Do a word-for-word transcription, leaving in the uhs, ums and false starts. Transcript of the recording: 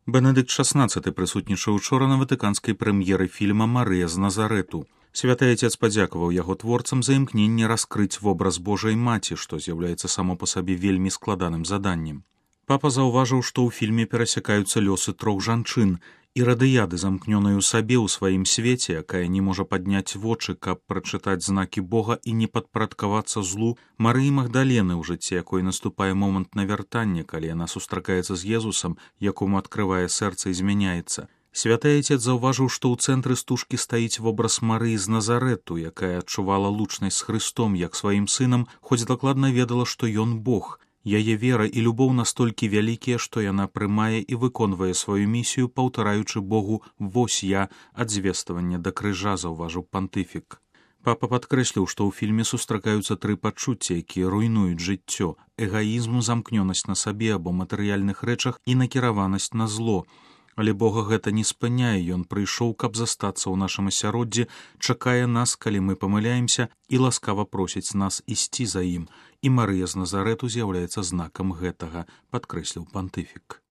Бенедыкт шаснаццаты прысутнічаў учора на ватыканскай прэм'еры фільма «Марыя з Назарэту». Святы Отец падзякаваў яго творцам за імкненне раскрыць вобраз Божай маці, што з'яўляецца само па сабе вельмі складаным заданнем. Папа заўважыў, што ў фільме перасякаюцца лёсы трох жанчын, Ірадыяды, замкнёнай у сабе ў сваім свеце, якая не можа падняць вочы, каб прачытаць знакі Бога і не падпарадкавацца злу, Марыі Магдалены, у жыцці якой наступае момант навяртання, калі яна сустракаецца з Езусам, якому адкрывае сэрца і змяняецца. Святы Отец заўважыў, што ў цэнтры стужкі стаіць вобраз Марыі з Назарэту, якая адчувала лучнасць з Хрыстом як сваім сынам, хоць дакладна ведала, што ён Бог. Яе вера і любоў настолькі вялікія, што яна прымае і выконвае сваю місію, паўтараючы Богу «Вось я» ад звествавання да крыжа, заўважыў пантыфік. Папа падкрэсліў, што ў фільме сустракаюцца тры пачуцці, якія руйнуюць жыццё: эгаізм, замкнёнасць на сабе або матэрыяльных рэчах і накіраванасць на зло. Але Бога гэта не спыняе, ён прыйшоў, каб застацца ў нашым асяроддзі, чакае нас, калі мы памыляемся, і ласкава просіць нас ісці за ім. І Марыя з Назарэту з'яўляецца знакам гэтага, падкрэсліў пантыфік.